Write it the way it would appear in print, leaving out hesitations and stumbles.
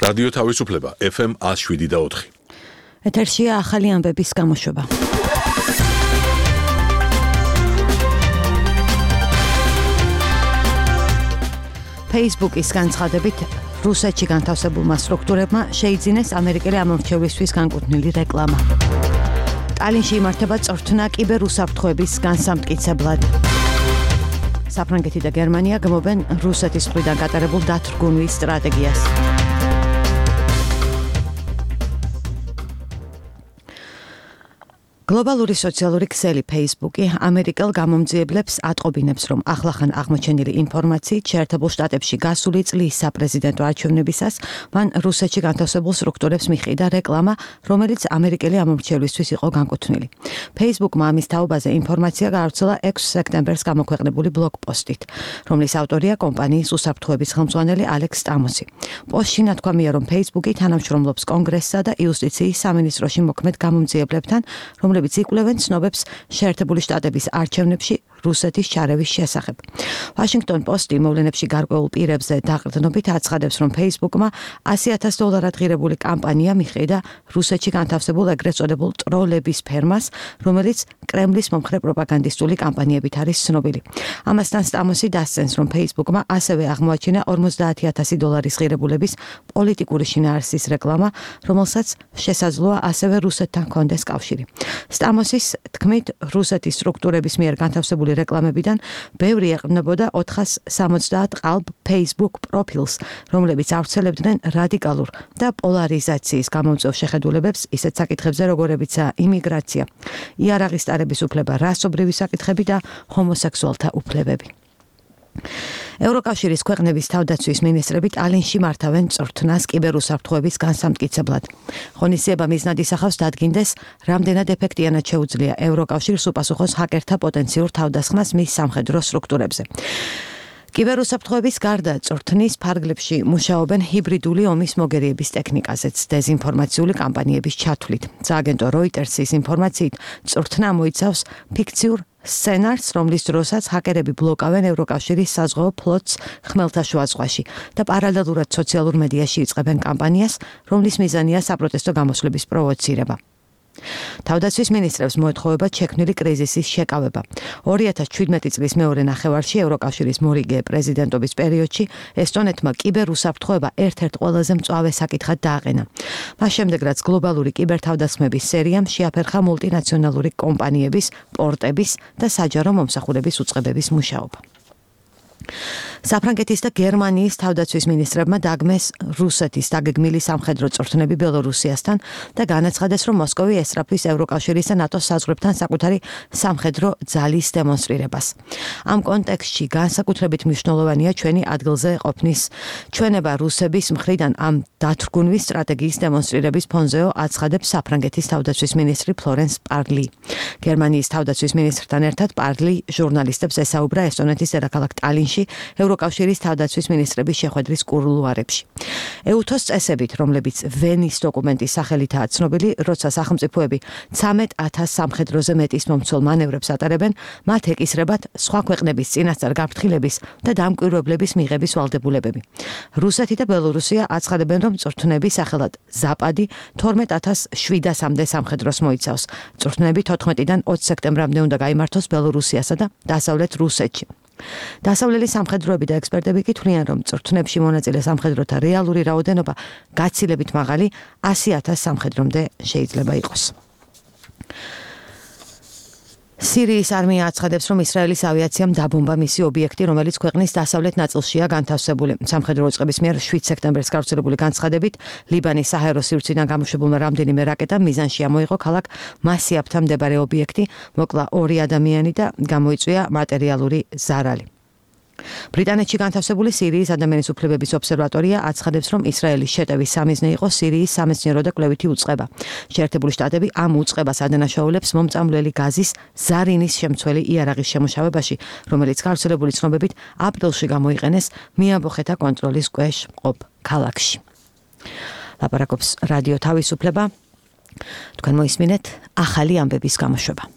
რადიო თავისუფლება FM 107.4. ეთერშია ახალი ამბების გამოშვება. Facebook-ის განცხადებით რუსეთში განთავსებულმა სტრუქტურებმა შეიძინეს ამერიკელი ამომრჩევლისთვის განკუთვნილი რეკლამა. ტალინში იმართება წვრთნა კიბერ უსაფრთხოების განსამტკიცებლად. საფრანგეთი და გერმანია გმობენ რუსეთის მხრიდან გატარებულ დათრგუნვის სტრატეგიას. გლობალური სოციალური ქსელი Facebook-ი ამერიკელ გამომძიებლებს ატყობინებს, რომ ახლახან აღმოჩენილი ინფორმაციით შეერთებულ შტატებში გასული წლის საპრეზიდენტო არჩევნებისას მან რუსეთში განთავსებულ სტრუქტურებს მიჰყიდა რეკლამა, რომელიც ამერიკელი ამომრჩევლისთვის იყო განკუთვნილი. Facebook-მა ამის თაობაზე ინფორმაცია გაავრცელა 6 სექტემბერს გამოქვეყნებული ბლოგ-პოსტით, რომლის ავტორია კომპანიის უსაფრთხოების ხელმძღვანელი ალექს სტამოსი. პოსტში ნათქვამია, რომ Facebook-ი თანამშრომლობს კონგრესსა და იუსტიციის სამინისტროში მოქმედ გამომძიებლებთან, რომლებიც იკვლევენ ცნობებს შეერთებული შტატების არჩევნებში რუსეთის ჩარევის შესახებ. Washington Post-ი მოვლენებში გარკვეულ პირებზე დაყრდნობით აცხადებს, რომ Facebook-მა $100,000 ღირებული კამპანია მიჰყიდა რუსეთში განთავსებულ ეგრეთ წოდებულ ტროლების ფერმას, რომელიც კრემლის მომხრე პროპაგანდისტული კამპანიებით არის ცნობილი. ამასთან სტამოსი დასცენს, რომ Facebook-მა ასევე აღმოაჩინა $50,000 ღირებულების პოლიტიკური შინაარსის რეკლამა, რომელსაც შესაძლოა ასევე რუსეთთან ჰქონდეს კავშირი. სტამოსის თქმით, რუსეთის სტრუქტურების მიერ განთავსებული რეკლამებიდან ბევრი ეყრდნობოდა 470 ყალბ Facebook პროფილს, რომლებიც ავრცელებდნენ რადიკალურ და პოლარიზაციის გამომწვევ შეხედულებებს ისეთ საკითხებზე, როგორებიცაა იმიგრაცია, იარაღის ტარების უფლება, რასობრივი საკითხები და ჰომოსექსუალთა უფლებები. ევროკავშირის ქვეყნების თავდაცვის მინისტრები ტალინში მართავენ წვრთნას კიბერუსაფრთხოების განსამტკიცებლად. ღონისძიება მიზნად ისახავს დადგინდეს, რამდენად ეფექტიანად შეუძლია ევროკავშირს უპასუხოს ჰაკერთა პოტენციურ თავდასხმას მის სამხედრო სტრუქტურებზე. კიბერუსაფრთხოების გარდა წვრთნის ფარგლებში მუშაობენ ჰიბრიდული ომის მოგერიების ტექნიკაზეც დეზინფორმაციული კამპანიების ჩათვლით. სააგენტო Reuters-ის ინფორმაციით, წვრთნა მოიცავს ფიქციურ სცენარს, რომლის დროსაც ჰაკერები ბლოკავენ ევროკავშირის საზღვაო ფლოტს ხმელთაშუა ზღვაში და პარალელურად სოციალურ მედიაში იწყებენ კამპანიას, რომლის მიზანია საპროტესტო გამოსვლების პროვოცირება. თავდაცვის მინისტრებს მოეთხოვება შექმნილი კრიზისის შეკავება. 2017 წლის მეორე ნახევარში ევროკავშირის მორიგე პრეზიდენტობის პერიოდში ესტონეთმა კიბერუსაფრთხოება ერთ-ერთ ყველაზე მწვავე საკითხად დააყენა. მას შემდეგ, რაც გლობალური კიბერთავდასხმების სერიამ შეაფერხა მულტინაციონალური კომპანიების, პორტების და საჯარო მომსახურების უწყებების მუშაობა. საფრანგეთის და გერმანიის თავდაცვის მინისტრებმა დაგმეს რუსეთის დაგეგმილი სამხედრო წვრთნები ბელორუსიასთან და განაცხადეს, რომ მოსკოვი ესწრაფვის ევროკავშირის და ნატოს საზღვრებთან საკუთარი სამხედრო ძალის დემონსტრირებას. ამ კონტექსტში განსაკუთრებით მნიშვნელოვანია ჩვენი ადგილზე ყოფნის ჩვენება რუსების მხრიდან ამ დათრგუნვის სტრატეგიის დემონსტრირების ფონზეო აცხადებს საფრანგეთის თავდაცვის მინისტრი ფლორენს პარლი. გერმანიის თავდაცვის მინისტრთან ერთად პარლი ჟურნალისტებს ესაუბრა ესტონეთის დედაქალაქ ტალინში ევროკავშირის თავდაცვის მინისტრების შეხვედრის კულუარებში. EUTOS წესებით, რომლებიც ვენის დოკუმენტის სახელითაა ცნობილი, როცა სახელმწიფოები 13,000 სამხედროზე მეტის მომცველ მანევრებს ატარებენ, მათ ეკისრებათ სხვა ქვეყნების წინასწარ გაფრთხილების და დამკვირვებლების მიღების ვალდებულებები. რუსეთი და ბელორუსია აცხადებენ, რომ წვრთნები სახელად ზაპადი 12,700-მდე სამხედროს მოიცავს. წვრთნები 14-დან 20 სექტემბრამდე უნდა გაიმართოს ბელორუსიასა და დასავლეთ რუსეთში. დასავლელი სამხედროები და ექსპერტები კი თვლიან, რომ წვრთნებში მონაწილე სამხედროთა რეალური რაოდენობა გაცილებით მაღალი 100,000 სამხედრომდე შეიძლება იყოს. სირიის არმია აცხადებს, რომ ისრაელის ავიაციამ დაბომბა მისი ობიექტი, რომელიც ქვეყნის დასავლეთ ნაწილშია განთავსებული. სამხედრო უწყების მიერ 7 სექტემბერს გავრცელებული განცხადებით, ლიბანის საჰაერო სივრციდან გამოშვებულმა რამდენიმე რაკეტამ მიზანში ამოიღო ქალაქ მასიაბთან მდებარე ობიექტი, მოკლა 2 ადამიანი და გამოიწვია მატერიალური ზარალი. ბრიტანეთში განთავსებული სირიის ადამიანის უფლებების ობსერვატორია აცხადებს, რომ ისრაელის შეტევის სამიზნე იყო სირიის სამეცნიერო და კვლევითი უწყება. შეერთებული შტატები ამ უწყებას ადანაშაულებს მომწამვლელი გაზის ზარინის შემცველი იარაღის შემუშავებაში, რომელიც გავრცელებული ცნობებით აპრილში გამოიყენეს მიამბოხეთა კონტროლის ქვეშ მყოფ ქალაქში. ლაპარაკობს რადიო თავისუფლება. თქვენ მოისმინეთ ახალი ამბების გამოშვება.